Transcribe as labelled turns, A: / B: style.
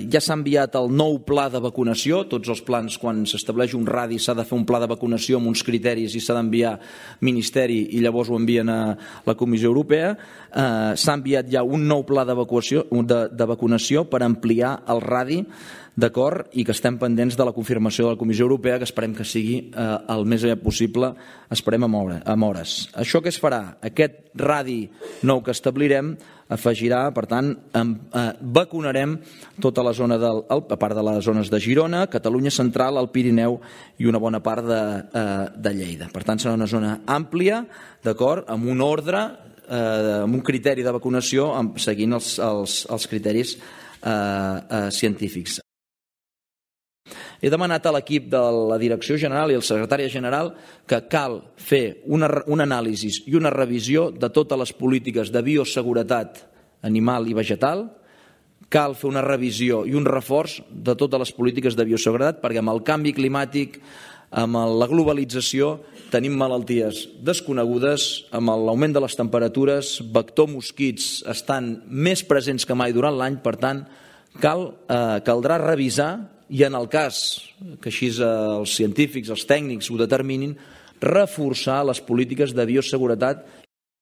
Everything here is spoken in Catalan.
A: ja s'ha enviat el nou pla de vacunació. Tots els plans, quan s'estableix un radi, s'ha de fer un pla de vacunació amb uns criteris i s'ha d'enviar Ministeri i llavors ho envien a la Comissió Europea. S'ha enviat ja un nou pla de vacunació per ampliar el radi, d'acord, i que estem pendents de la confirmació de la Comissió Europea, que esperem que sigui el més aviat possible, esperem amb hores. Això què es farà? Aquest radi nou que establirem afegirà, per tant, vacunarem tota la zona, a part de les zones de Girona, Catalunya Central, el Pirineu i una bona part de Lleida. Per tant, serà una zona àmplia, d'acord, amb un ordre, amb un criteri de vacunació, seguint els criteris científics. He demanat a l'equip de la Direcció General i al Secretari General que cal fer un anàlisi i una revisió de totes les polítiques de bioseguretat animal i vegetal. Cal fer una revisió i un reforç de totes les polítiques de bioseguretat, perquè amb el canvi climàtic, amb la globalització, tenim malalties desconegudes, amb l'augment de les temperatures, vector mosquits estan més presents que mai durant l'any. Per tant, caldrà revisar, i en el cas que així els científics, els tècnics ho determinin, reforçar les polítiques de bioseguretat